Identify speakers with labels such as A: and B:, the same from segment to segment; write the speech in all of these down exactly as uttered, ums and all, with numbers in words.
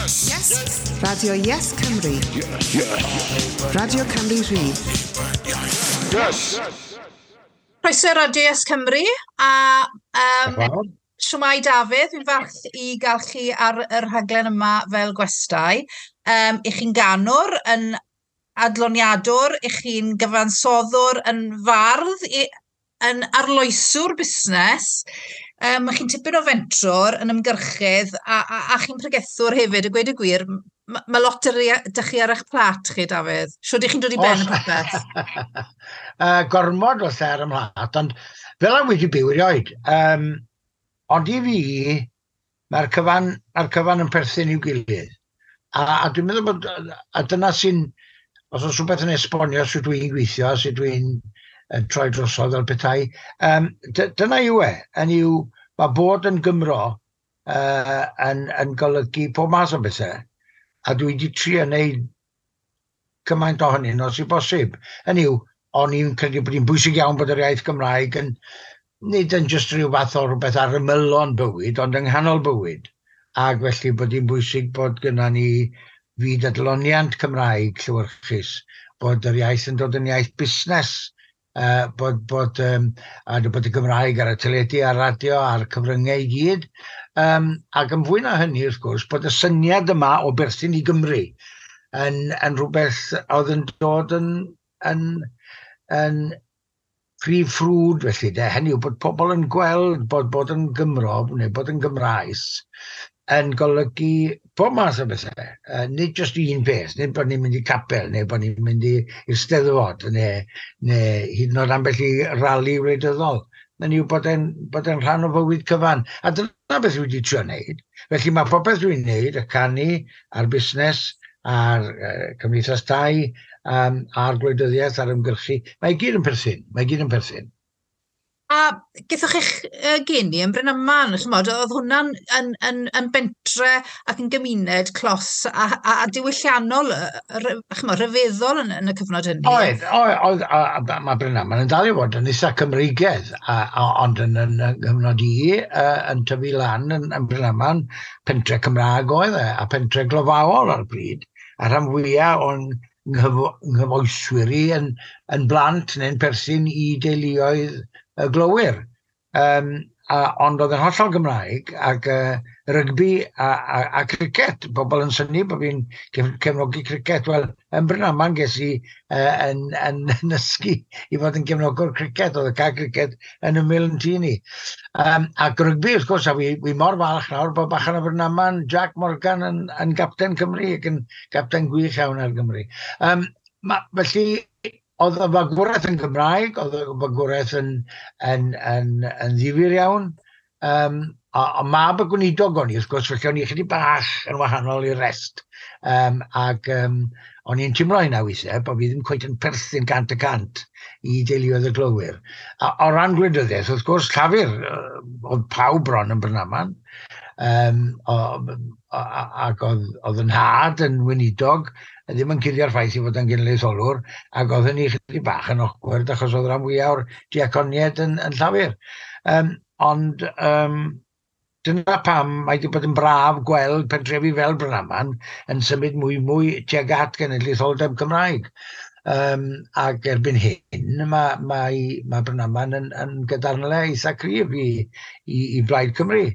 A: Yes. Yes. Radio Yes Cymru. Yes. Yes. Radio Cymru Rhydd.
B: Yes. Croeso Radio Yes Cymru a um, shwmae, Dafydd, fi'n falch i gael chi ar y rhaglen yma fel gwestai. Um, I chi'n ganwr, yn adloniadwr, i chi'n gyfansoddwr, yn fardd, i, yn arloeswr busnes. Um, mae chi'n tipyn o fentrwr, yn ymgyrchydd, a, a, a chi'n pregethwr hefyd, a gweud y gwir, mae ma lot ar dych chi ar eich plat chi, Dafydd. Shwd i chi'n dod i ben y popeth?
C: uh, gormod o lle ar y mhlat, ond fel am wedi byw erioed. Um, ond i fi, mae'r cyfan, mae'r cyfan yn perthyn i'w gilydd. A, a dwi'n meddwl bod, a dyna sy'n, os oes rhywbeth yn esbonio sut dwi'n gweithio, sut dwi'n yn troi drosodd fel petai, um, dyna yw e, yn yw, mae bod yn Gymro uh, yn, yn golygu pob math o bethau, a dwi wedi trio wneud cymaint ohonyn nhw sy'n bosib. Hynny yw, o'n i'n credu bod hi'n bwysig iawn bod yr iaith Gymraeg yn, nid yn jyst rhyw fath o rhywbeth ar ymylon bywyd, ond yng nghanol bywyd. Ac felly bod hi'n bwysig bod gyda ni fyd adloniant Cymraeg llewyrchus, bod yr iaith yn dod yn iaith busnes, uh, bod, bod, um, a bod y Gymraeg ar y teledu, a'r radio, a'r cyfryngau i gyd. Um, ac yn fwy na hynny, wrth gwrs, bod y syniad yma o berthyn i Gymru yn, yn rhywbeth oedd yn dod yn, yn, yn prif ffrwd felly, de. Hynny yw bod pobl yn gweld bod bod yn Gymro neu bod yn Gymraes yn golygu pob math o bethau. Uh, nid jyst un peth, nid bod ni'n mynd i capel, neu bod ni'n mynd i'r Steddfod, neu, neu hyd yn oed ambell i rali wleidyddol. Hynny yw bod e'n bod e'n rhan o fywyd cyfan. A dyna beth dwi wedi trio wneud. Felly mae popeth dwi'n wneud, y canu, a'r busnes, a'r uh, cymdeithas tai, um, a'r gwleidyddiaeth, a'r ymgyrchu, mae i gyd yn perthyn. Mae i gyd yn perthyn.
B: A gethoch chi'ch uh, geni yn Brynaman, ch'mod, oedd hwnna'n yn, yn, yn bentre ac yn gymuned clos a, a, a diwylliannol, ch'mod, rhyfeddol yn, yn y cyfnod hynny.
C: Oedd, oedd, oedd a, a, mae Brynaman yn dal i fod yn eitha Cymreigedd, a, a, ond yn, yn, yn gyfnod i, uh, yn tyfu lan yn, yn Brynaman, pentre Cymraeg oedd e, a pentre glofaol ar bryd, a rhan fwyaf o'n nghyfoeswyr i yn, yn blant neu'n perthyn i deuluoedd y glowyr. Um, a, ond oedd yn hollol Gymraeg ac uh, rygbi a, a, a cricet. Pobl yn synnu bod fi'n cefnogi cricet. Wel, yn Brynaman ges i uh, yn, yn, yn ysgu i fod yn gefnogwr cricet. Oedd y cae cricet yn ymyl yn tŷ ni. Um, ac rygbi, wrth gwrs, a wi, wi mor falch nawr bod bachan o Brynaman, Jack Morgan yn, yn gapten Cymru ac yn gapten gwych iawn ar Gymru. Um, ma, felly, oedd y fagwraeth yn Gymraeg, oedd y fagwraeth yn, yn, yn, yn ddifyr iawn. Um, a, a mab y gweinidog o'n i, wrth gwrs, felly o'n i chydig bach yn wahanol i'r rest. Um, ac um, o'n i'n teimlo hynna weithiau, bod fi ddim cweit yn perthyn gant y cant i deuluoedd y glowyr. A, o ran gwleidyddiaeth, wrth gwrs, Llafur, oedd pawb bron yn Brynaman. Um, o, o, ac oedd, oedd yn nhad yn weinidog, ddim yn cuddio'r ffaith i fod yn genedlaetholwr, ac oedd hynny chydig bach yn awkward achos oedd rhan fwyaf o'r diaconiaid yn, yn Llafur. Um, ond um, dyna pam mae wedi bod yn braf gweld pentrefi fel Brynaman yn symud mwy mwy tuag at genedlaetholdeb Cymraeg. Um, ac erbyn hyn mae, mae, mae Brynaman yn, yn gadarnle eitha cryf i, i, i Blaid Cymru.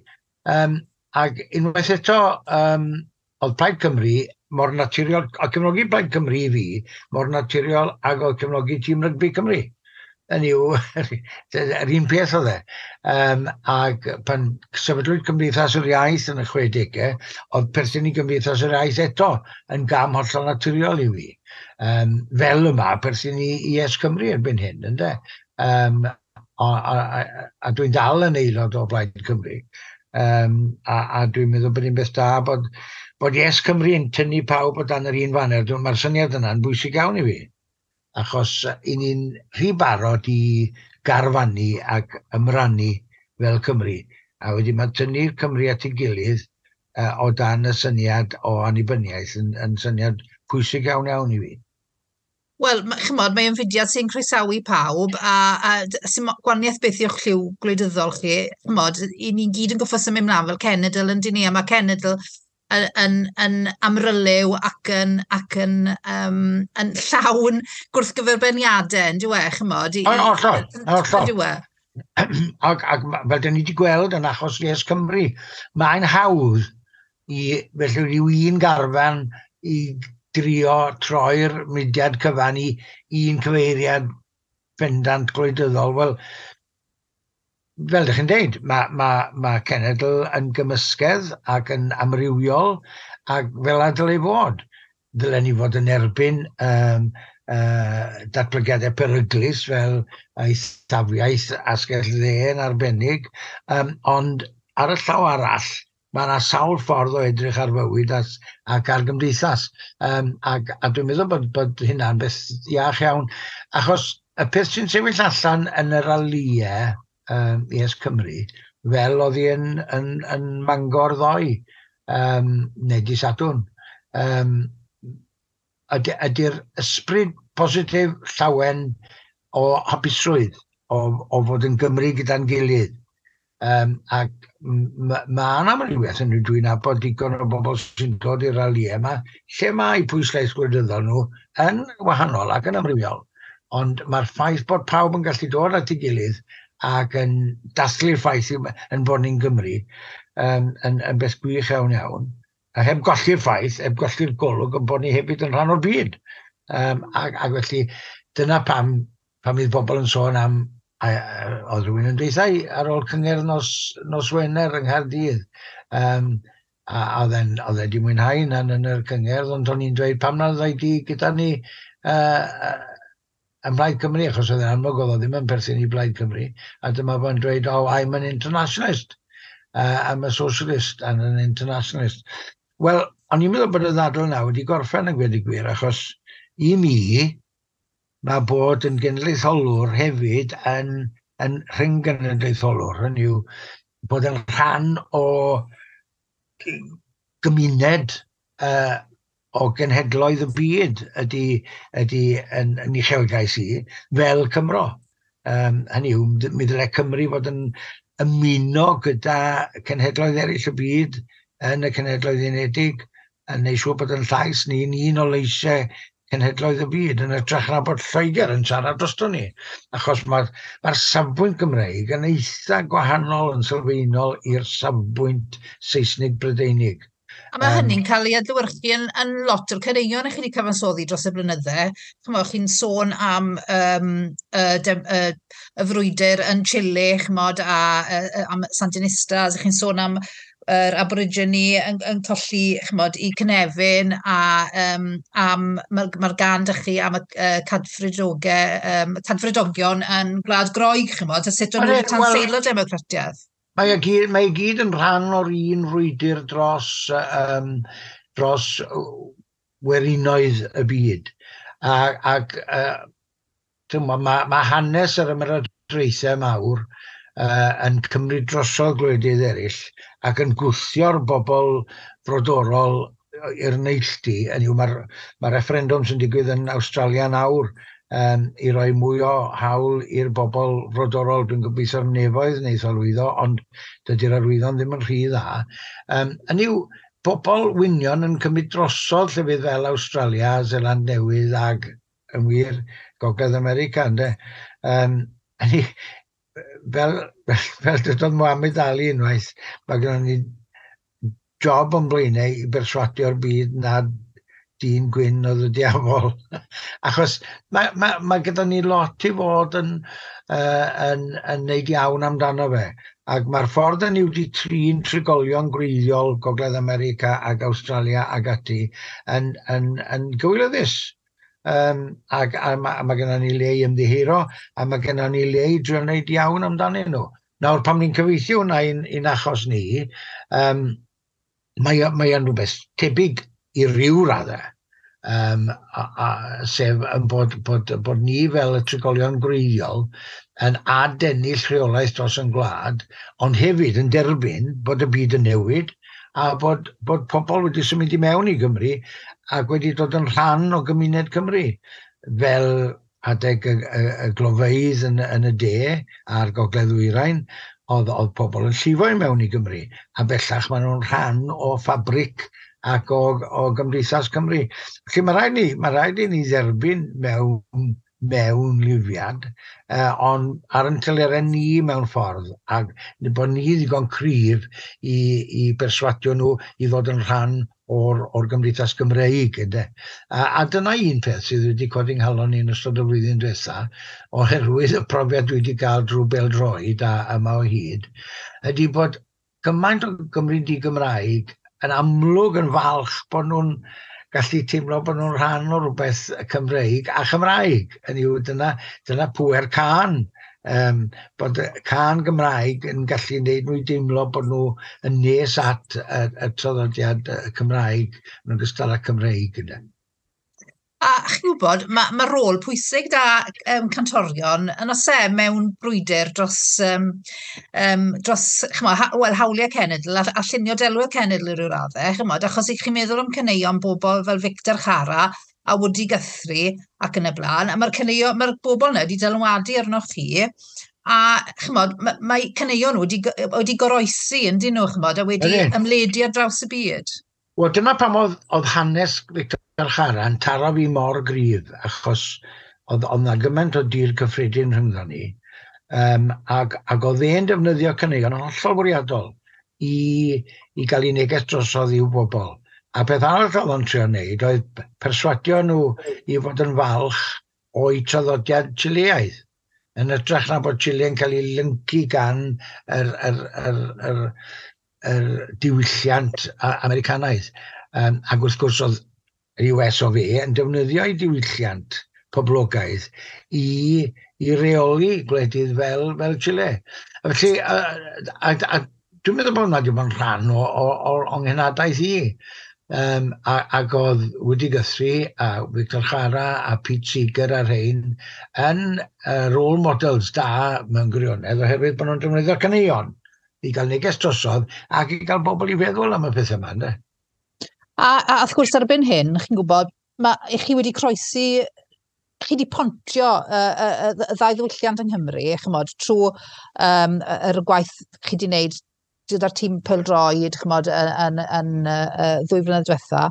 C: Um, ac unwaith eto, um, oedd Plaid Cymru mor naturiol, a cefnogi Plaid Cymru i fi, mor naturiol ag oedd cefnogi tîm rygbi Cymru. Hynny yw, yr un peth oedd e. Um, ac pan sefydlwyd Cymdeithas yr Iaith yn y chwedegau, oedd perthyn i Gymdeithas yr Iaith eto yn gam hollol naturiol i fi. Um, fel yma, perthyn i Yes Cymru erbyn hyn, ynde? Um, a, a, a, a dwi'n dal yn aelod o Blaid Cymru. Um, a, a dwi'n meddwl bod hi'n beth da bod, bod Yes Cymru yn tynnu pawb o dan yr un faner. Mae'r syniad yna'n bwysig iawn i fi, achos i ni'n rhy barod i garfannu ac ymrannu fel Cymru. A wedyn mae tynnu'r Cymru at ei gilydd uh, o dan y syniad o annibyniaeth yn, yn syniad pwysig iawn iawn i fi.
B: Wel, ch'mod, mae'n fudiad sy'n croesawu pawb, a, a sy'n gwahaniaeth beth yw'ch lliw gwleidyddol chi, ch'mod, i ni'n gyd yn goffo symud mlaen fel cenedl yn dyn ni, a mae cenedl yn, yn, yn amryliw ac yn, ac yn, um, yn llawn gwrthgyferbyniadau, yn dyw e, chymod?
C: Hollol, hollol. Dyw e? Ac, ac fel dyn ni wedi gweld yn achos Yes Cymru, mae'n hawdd i felly rhyw un garfan i drio troi'r mudiad cyfan i un cyfeiriad bendant gwleidyddol. Wel, fel ydych chi'n deud, mae, mae, mae cenedl yn gymysgedd ac yn amrywiol ac fel a dylai fod. Dylen ni fod yn erbyn um, uh, datblygiadau peryglus fel eithafiaeth asgell dde yn arbennig, um, ond ar y llaw arall, mae yna sawl ffordd o edrych ar fywyd as, ac ar gymdeithas. Um, ac, a dwi'n meddwl bod, bod hynna'n beth iach iawn, achos y peth sy'n sefyll allan yn y ralïau um, Yes Cymru, fel oedd hi yn, yn, yn Mangor ddoe, um, neu di Sadwrn, um, ydy, ydy'r ysbryd positif llawen o hapusrwydd, o, o fod yn Gymru gyda'n gilydd. Um, ac mae ma yna amrywiaeth yn dwi'n nabod digon o bobl sy'n dod i'r ralïau yma, lle mae pwyslais gwleidyddol nhw yn wahanol ac yn amrywiol. Ond mae'r ffaith bod pawb yn gallu dod at ei gilydd ac yn dathlu'r ffaith yn bod ni'n Gymru um, yn, yn beth gwych iawn iawn. A heb golli'r ffaith, heb golli'r golwg yn bod ni hefyd yn rhan o'r byd. Um, ac, ac felly dyna pam, pam fydd bobl yn sôn am, a, a, oedd rhywun yn dweud ar ôl cyngerdd nos, nos Wener yng Nghaerdydd. Um, a, a oedd e'n oedd e wedi mwynhau hynna'n yn yr cyngerdd, ond o'n i'n dweud pam na ddoi di gyda ni uh, yn Blaid Cymru, achos oedd e'n amlwg oedd o ddim yn perthyn i Blaid Cymru, a dyma fo'n dweud, oh, I'm an internationalist, uh, I'm a socialist and an internationalist. Wel, o'n i'n meddwl bod y ddadl yna wedi gorffen yn gweud y gwir, achos i mi, mae bod yn genedlaetholwr hefyd yn, yn rhyng-genedlaetholwr, hynny yw bod yn rhan o gymuned uh, o genhedloedd y byd ydy, ydy yn, yn uchelgais i, fel Cymro. Um, hynny yw, mi ddylai Cymru fod yn ymuno gyda cenhedloedd eraill y byd yn y Cenhedloedd Unedig, yn neud siŵr bod yn llais ni'n un o leisiau cenhedloedd y byd, yn hytrach na bod Lloegr yn siarad drosto ni. Achos mae'r mae safbwynt Gymreig yn eitha gwahanol yn sylfaenol i'r safbwynt Saesnig Brydeinig.
B: A mae um, hynny'n cael ei adlewyrchu yn, yn lot o'r caneuon i chi wedi cyfansoddi dros y blynydde. Chymod, chi'n sôn am um, y, y, y, y frwydr yn Chile, chymod, a, a, am Sandinistas, chi'n sôn am yr Aborigine yn, yn colli, chymod, i cynefin, a um, am, mae'r ma gan dych chi am y uh, cadfridogau, um, cadfridogion yn Gwlad Groeg, chymod, a sut o'n nhw'n tanseilo democratiaeth.
C: Mae e gyd, mae e gyd yn rhan o'r un frwydr dros, um, dros werinoedd y byd. A, ac uh, mae ma, ma hanes yr ymerodraethau mawr uh, yn cymryd drosodd gwledydd eraill ac yn gwthio'r bobl frodorol i'r neilltu. Hynny yw, mae'r ma referendwm sy'n digwydd yn Awstralia nawr um, i roi mwy o hawl i'r bobl frodorol. Dwi'n gobeithio'r nefoedd wneith o lwyddo, ond dydy'r arwyddion ddim yn rhy dda. Um, hynny yw, bobl wynion yn cymryd drosodd llefydd fel Awstralia, Seland Newydd ag yn wir Gogledd America, ynde. Um, hynny, fel, fel, fel dydodd Muhammad Ali unwaith, mae gennym ni job o'n blaenau i berswadio'r byd nad dyn gwyn oedd y diafol. Achos mae, mae, mae gyda ni lot i fod yn, uh, yn, yn neud iawn amdano fe. Ac mae'r ffordd yn ni wedi trin trigolion gwreiddiol Gogledd America ac Awstralia ac ati yn, yn, yn gywilyddus. Um, ac a, ma, a mae gennym ni le i ymddiheuro a mae gennym ni le i drio wneud iawn amdanyn nhw. Nawr, pam ni'n cyfieithu hwnna i'n, i'n achos ni, um, mae, mae yn rhywbeth tebyg i ryw raddau, um, a, a, sef yn bod, bod, bod ni fel y trigolion gwreiddiol yn adennill rheolaeth dros yn gwlad, ond hefyd yn derbyn bod y byd yn newid a bod, bod pobl wedi symud i mewn i Gymru ac wedi dod yn rhan o gymuned Cymru, fel adeg y, y, y glofeydd yn, yn y de a'r Gogledd Ddwyrain, oedd, oedd pobl yn llifo i mewn i Gymru, a bellach maen nhw'n rhan o ffabrig ac o, o Gymdeithas Cymru. Felly mae rhaid ni, mae rhaid i ni dderbyn mewn, mewn lifiad, eh, ond ar yn telerau ni mewn ffordd, ac bod ni ddigon cryf i, i berswadio nhw i ddod yn rhan o'r, o'r Gymdeithas Gymreig. Ynde? A, a dyna un peth sydd wedi codi nghalon i yn ystod y flwyddyn diwetha, oherwydd y profiad dwi wedi cael drwy bêl-droed a yma o hyd, ydy bod gymaint o Gymry di-Gymraeg yn amlwg yn falch bod nhw'n gallu teimlo bod nhw'n rhan o rhywbeth Cymreig a Chymraeg. Hynny yw, dyna, dyna pŵer cân. Um, bod y cân Gymraeg yn gallu gwneud nhw i deimlo bod nhw yn nes at y, y traddodiad Cymraeg yn ogystal â Cymreig. Ynde.
B: A chi'n gwybod, mae ma rôl pwysig da um, cantorion yn oes e mewn brwydr dros, um, um, dros ch'mo, ha, wel, hawliau cenedl a, a llunio delwedd cenedl i ryw raddau, ch'mod, achos i chi'n meddwl am caneuon bobl fel Victor Jara a Woody Guthrie ac yn y blaen, a mae'r caneuon, mae'r bobl yna wedi dylanwadu arnoch chi, a ch'mod, mae, mae caneuon nhw wedi, wedi goroesi yn dyn nhw, ch'mod, a wedi
C: Ydyn.
B: ymledu ar draws y byd.
C: Wel, dyna pam oedd, oedd hanes Victor Jara yn taro fi mor gryf, achos oedd, oedd na gymaint o dir cyffredin rhyngddo ni, um, ac, ac oedd e'n defnyddio caneuon yn hollol fwriadol i, i gael ei neges drosodd i'w bobl. A beth arall oedd o'n trio wneud oedd perswadio nhw i fod yn falch o'i traddodiad Chileaidd. Yn hytrach na bod Chile yn cael ei lyncu gan yr, yr, yr, yr, yr diwylliant Americanaidd. Um, ac wrth gwrs oedd yr U S of A yn defnyddio ei diwylliant poblogaidd i, i reoli gwledydd fel, fel Chile. A felly, a, a, a, dwi'n meddwl bod hwnna wedi bod yn rhan o, o, o, o nghenadaeth i. Um, a, ac oedd Woody Guthrie a Victor Jara a Pete Seeger a rhain yn uh, role models da mewn gwirionedd oherwydd bod nhw'n defnyddio caneuon i gael neges drosodd ac i gael bobl i feddwl am y pethau yma. Ynde?
B: A, a wrth gwrs erbyn hyn, chi'n gwybod, ma, chi wedi croesi, chi wedi pontio y, y, y, y ddau ddiwylliant yng Nghymru, ch'mod, trwy um, yr gwaith chi wedi wneud gyda'r tîm pêl-droed, ch'mod, yn, yn, yn, yn ddwy flynedd diwetha.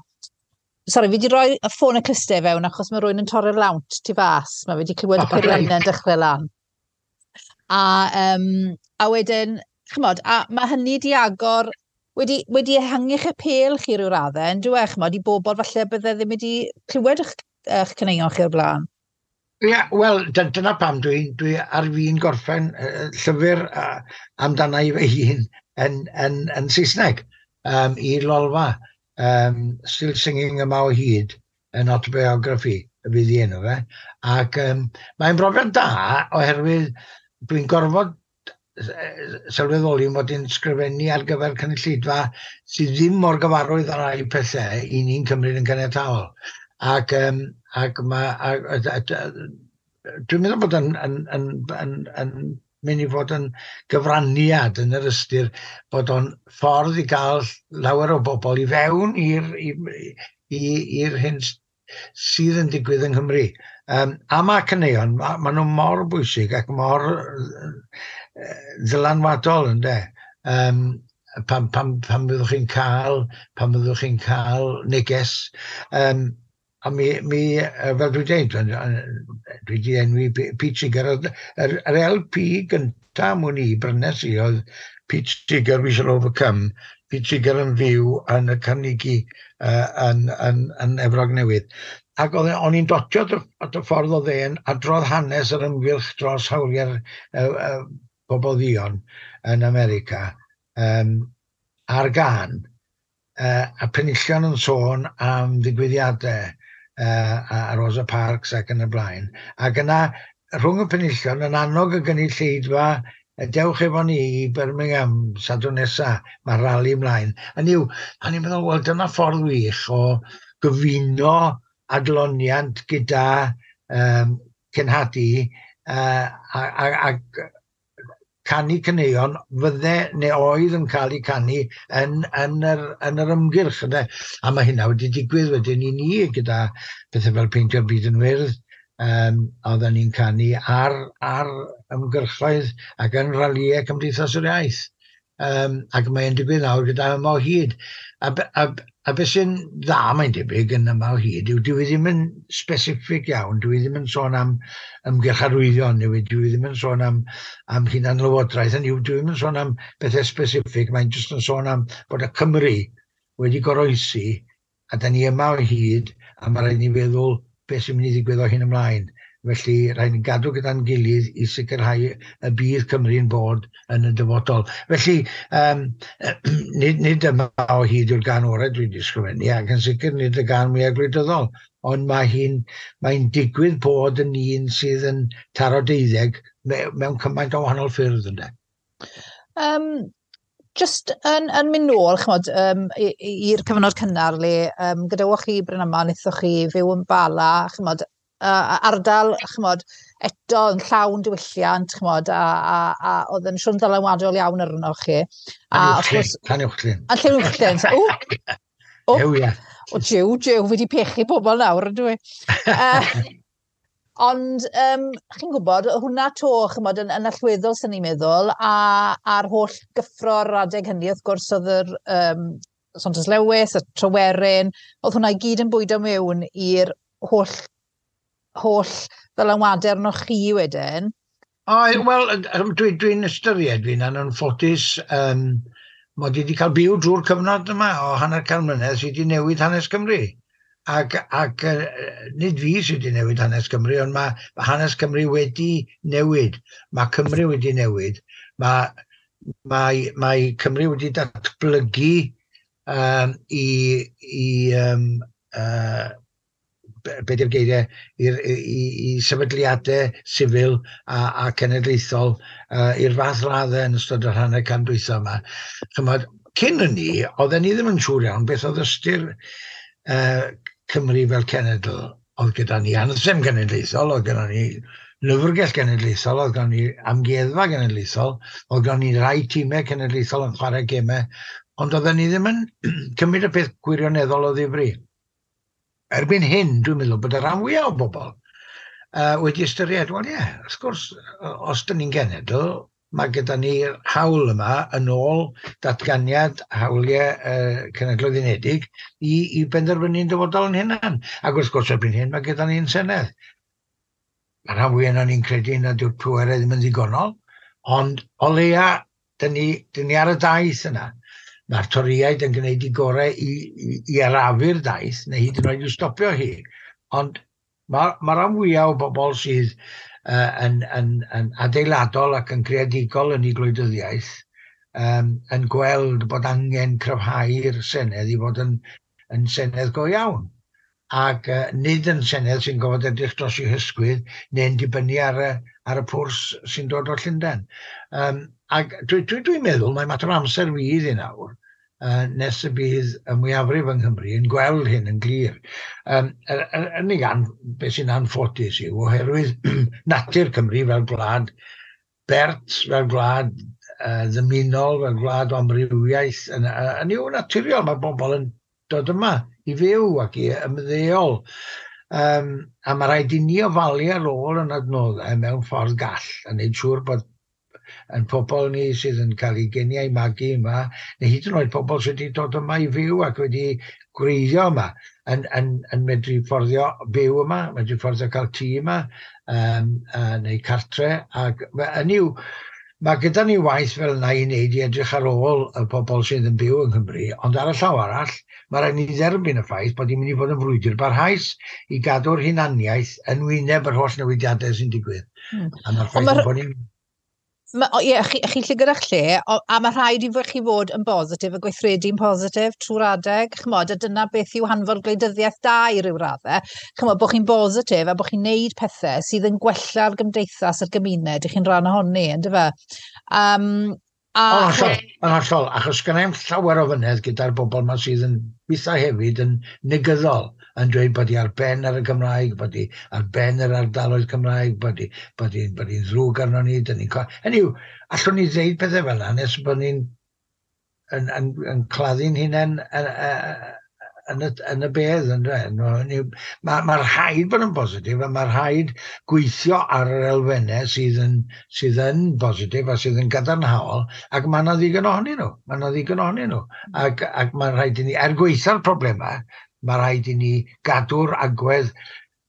B: Sori, fi wedi rhoi y ffôn y clustau fewn achos mae rhywun yn torri'r lawnt tu fas. Mae fi wedi clywed y
C: O, reit.
B: peiriannau yn dechrau lan. A, um, a wedyn, ch'mod, a mae hynny wedi agor, wedi, wedi ehangu'ch apêl chi ryw raddau, yn dyw e, ch'mod, i bobl falle bydde ddim wedi clywed eich, eich caneuon chi o'r blaen.
C: Ie, yeah, wel, dyna pam dwi, dwi ar fin gorffen uh, llyfr uh, amdana i fy hun yn, yn, yn Saesneg um, i Lolfa. Um, Still Singing Yma o Hyd yn autobiography y fydd i enw fe. Ac um, mae'n brofiad da oherwydd dwi'n gorfod sylweddoli mod i'n sgrifennu ar gyfer cynulleidfa sydd ddim mor gyfarwydd â rai pethau i ni'n cymryd yn caniataol. Ac, um, ac ma, a, a, a, a, dwi'n meddwl bod yn, yn, yn, yn, yn mynd i fod yn gyfraniad yn yr ystyr bod o'n ffordd i gael lawer o bobl i fewn i'r i'r hyn sydd yn digwydd yng Nghymru. Um, a mae caneuon, ma, ma nhw mor bwysig ac mor ddylanwadol, ynde. Um, pan, pan, pan fyddwch chi'n cael, pan fyddwch chi'n cael neges. Um, a mi, mi, fel dwi'n dweud, dwi wedi enwi Pete Seeger, yr, yr L P gyntaf mwyn i brynes i oedd Pete Seeger, We Shall Overcome, Pete Seeger yn fyw yn y Carnegie uh, yn, yn, yn Efrog Newydd. Ac oedd, o'n i'n dotio at y ffordd oedd e'n adrodd hanes yr ymgyrch dros hawliau'r uh, uh, bobl dduon yn America um, ar gân, uh, a penillion yn sôn am ddigwyddiadau uh, a Rosa Parks ac yn y blaen. Ac yna, rhwng y penillion, yn annog y gynulleidfa, dewch efo ni i Birmingham Sadwrn nesa, mae rali ymlaen. Hynny yw, o'n i'n meddwl, wel, dyna ffordd wych o gyfuno adloniant gyda um, cenhadu uh, a, a, a canu caneuon fydde neu oedd yn cael eu canu yn, yn, yr, yn yr ymgyrch. Ynde? A mae hynna wedi digwydd wedyn i ni gyda pethau fel Peintio'r Byd yn Wyrdd, Um, oedden ni'n canu ar, ar ymgyrchoedd ac yn ralïau Cymdeithas yr Iaith. Um, ac mae'n digwydd nawr gyda Yma o Hyd. A, a, a beth sy'n dda mae'n debyg yn Yma o Hyd yw dwi ddim yn specific iawn, dwi ddim yn sôn am ymgyrch arwyddion, neu dwi ddim yn sôn am, am hunanlywodraeth, hynny yw, dwi ddim yn sôn am bethau specific, mae'n jyst yn sôn am bod y Cymru wedi goroesi, a da ni yma o hyd, a mae rhaid ni feddwl beth sy'n mynd i ddigwydd o hyn ymlaen. Felly rhaid ni gadw gyda'n gilydd i sicrhau y bydd Cymru'n bod yn y dyfodol. Felly, um, nid, nid Yma o Hyd yw'r gân orau dwi wedi ysgrifennu, ac yn sicr nid y gân mwyaf gwleidyddol, ond mae hi'n mae'n digwydd bod yn un sydd yn taro deuddeg mewn cymaint o wahanol ffyrdd, ynde.
B: Um, just yn, yn mynd nôl, ch'mod, um, i'r cyfnod cynnar le, um, gadawoch chi Brynaman, wnaethoch chi fyw yn Bala, ch'mod, uh, ardal, ch'mod, eto yn llawn diwylliant, ch'mod, a, a, a oedd yn siwr ddylanwadol iawn arnoch chi.
C: A Llanuwchllyn.
B: A Llanuwchllyn. O, o, o, jiw, jiw, fi wedi pechu pobl nawr, ydw i. Uh, ond, um, chi'n gwybod, hwnna to, ch'mod, yn, yn allweddol sy'n ni'n meddwl, a, a'r holl gyffro'r adeg hynny, wrth gwrs, oedd yr um, Saunders Lewis, y Tryweryn, oedd hwnna i gyd yn bwydo mewn i'r holl holl ddylanwadau arnoch chi wedyn?
C: O, wel, dwi'n dwi ystyried fi'n anffodus, um, mod i wedi cael byw drwy'r cyfnod yma o hanner can mlynedd sydd wedi newid hanes Cymru. Ac, ac nid fi sydd wedi newid hanes Cymru, ond mae, mae hanes Cymru wedi newid. Mae Cymru wedi newid. Mae, mae, mae Cymru wedi datblygu um, i, i um, uh, be di'r geiriau, i, i, i sefydliadau sifil a, a cenedlaethol uh, i'r fath raddau yn ystod yr hanner can dwytha yma. Chymod, cyn hynny, oedden ni ddim yn siŵr iawn beth oedd ystyr uh, Cymru fel cenedl. Oedd gyda ni anthem genedlaethol, oedd gyda ni lyfrgell genedlaethol, oedd gyda ni amgueddfa genedlaethol, oedd gyda ni rai tîmau cenedlaethol yn chwarae gemau, ond oedden ni ddim yn cymryd y peth gwirioneddol o ddifri. Erbyn hyn, dwi'n meddwl bod y rhan fwyaf o bobl uh, wedi ystyried, wel ie, wrth gwrs, os dyn ni'n genedl, mae gyda ni'r hawl yma yn ôl datganiad hawliau uh, Cenhedloedd Unedig i, i benderfynu'n dyfodol yn hunan. Ac wrth gwrs, erbyn hyn, mae gyda ni'n senedd. Mae rhan fwyaf yna ni'n credu nad yw'r pwerau ddim yn ddigonol, ond o leia, dyn ni, dyn ni ar y daith yna. Mae'r Torïaid yn gwneud i gorau i, i, i arafu'r daith, neu hyd yn oed i'w stopio hi. Ond mae ma rhan fwyaf o bobl sydd uh, yn, yn, yn adeiladol ac yn creadigol yn eu gwleidyddiaeth um, yn gweld bod angen cryfhau'r Senedd i fod yn, yn Senedd go iawn. Ac uh, nid yn Senedd sy'n gofod edrych dros i'w hysgwydd neu'n dibynnu ar y, ar y pwrs sy'n dod o Llundain. Um, ac dwi'n dwi, dwi meddwl mae mater o amser fydd i nawr, uh, nes y bydd y mwyafrif yng Nghymru yn gweld hyn yn glir. Um, yr unig an, beth sy'n anffodus yw, oherwydd natur Cymru fel gwlad bert, fel gwlad uh, ddymunol, fel gwlad o amrywiaeth, yn, yn yw naturiol, mae bobl yn dod yma i fyw ac i ymddeol. Um, a mae rhaid i ni ofalu ar ôl yn adnoddau mewn ffordd gall, a wneud siŵr bod yn pobl ni sydd yn cael eu geni a'u magu yma, neu hyd yn oed pobl sydd wedi dod yma i fyw ac wedi gwreiddio yma, yn, yn, yn medru fforddio byw yma, medru fforddio cael tŷ yma, um, uh, neu cartre. Ac hynny yw, mae gyda ni waith fel yna i wneud i edrych ar ôl y pobl sydd yn byw yng Nghymru, ond ar y llaw arall, mae rhaid ni dderbyn y ffaith bod hi'n mynd i fod yn frwydr barhaus i gadw'r hunaniaeth yn wyneb yr holl newidiadau sy'n digwydd. Mm. A mae'r ffaith ma bod ni'n
B: Ma, o, ie, chi, chi'n lle gyda'ch lle, o, a mae rhaid i chi fod yn bositif a gweithredu'n positif trwy'r adeg, ch'mod, a dyna beth yw hanfod gwleidyddiaeth da i ryw raddau. Ch'mod, bod chi'n bositif a bod chi'n neud pethau sydd yn gwella'r gymdeithas a'r gymuned i chi'n rhan ohoni, yndyfe? Um,
C: a... Yn hollol, yn hollol, achos gynna i'm llawer o fynedd gyda'r bobl yma sydd yn weithiau hefyd yn negyddol, yn dweud bod hi ar ben ar y Gymraeg, bod hi ar ben yr ardaloedd Cymraeg, bod hi, bod hi, bod hi'n ddrwg arno ni, dyn ni'n... Hynny yw, allwn ni ddeud pethau fel yna nes bod ni'n yn, yn, yn claddu'n hunain yn, yn y, yn y bedd. Mae ma rhaid bod yn bositif a mae rhaid gweithio ar yr elfennau sydd yn, sydd yn bositif a sydd yn gadarnhaol, ac mae yna ddigon ohonyn nhw. Mae yna ddigon ohonyn nhw. Ac, ac mae rhaid i ni, er gweitha'r problemau, mae rhaid i ni gadw'r agwedd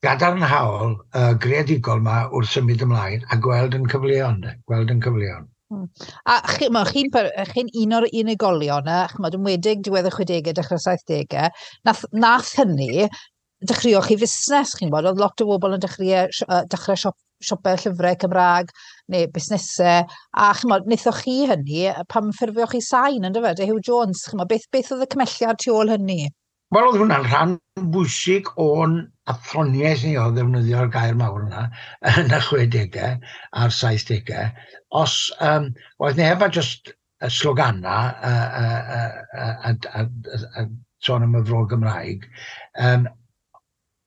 C: gadarnhaol, uh, greadigol yma wrth symud ymlaen a gweld yn cyfleon. Gweld yn cyfleon.
B: Hmm. A chi'n chi, chi un o'r unigolion, ch'mod, yn wedig diwedd y chwedegau, dechrau saithdegau, nath, nath hynny dechreuoch chi fusnes, chi'n gwybod, oedd lot o bobl yn dechrau, dechrau siop, siopau llyfrau Cymraeg neu busnesau, a ch'mod, wnaethoch chi hynny pam ffurfioch chi Sain, yn dyfe, Huw Jones, ch'mod, beth, beth oedd y cymelliad tu ôl hynny?
C: Wel, oedd hwnna'n rhan bwysig o'n athroniaeth ni o ddefnyddio'r gair mawr yna yn y chwedegau a'r saithdegau. Os um, oedd neb a just y slogana a, a, a, a, a, a, a sôn am y fro Gymraeg, um,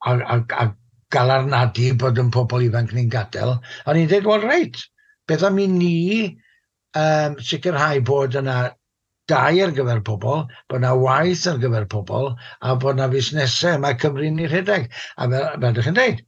C: a, a, a galarnadu bod yn pobl ifanc ni'n gadael, o'n i'n dweud, wel reit, beth am i ni um, sicrhau bod yna dau ar gyfer pobl, bod yna waith ar gyfer pobl, a bod yna fusnesau mae Cymru'n ei rhedeg. A fel, fel ydych chi'n dweud,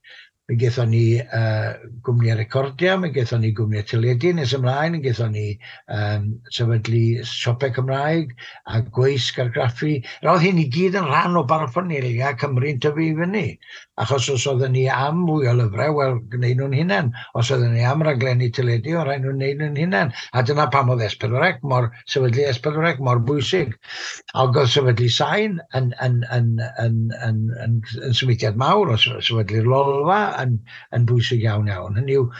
C: mi gaethon ni uh, gwmnïau recordiau, mi gaethon ni gwmnïau teledu nes ymlaen, mi gaethon ni um, sefydlu siopau Cymraeg a gweisg argraffu. Roedd hyn i gyd yn rhan o baraffernalia Cymru'n tyfu i fyny. Achos os oedden ni am fwy o lyfrau, wel, gwneud nhw'n hunain. Os oedden ni am raglenni teledu, o rhaid nhw'n gwneud nhw'n hunain. A dyna pam oedd S pedwar C mor, sefydlu S pedwar C mor bwysig. Ac oedd sefydlu Sain yn, yn, yn, yn, yn, yn, yn symudiad mawr, o sefydlu'r Lolfa yn, yn bwysig iawn iawn. Hynny yw,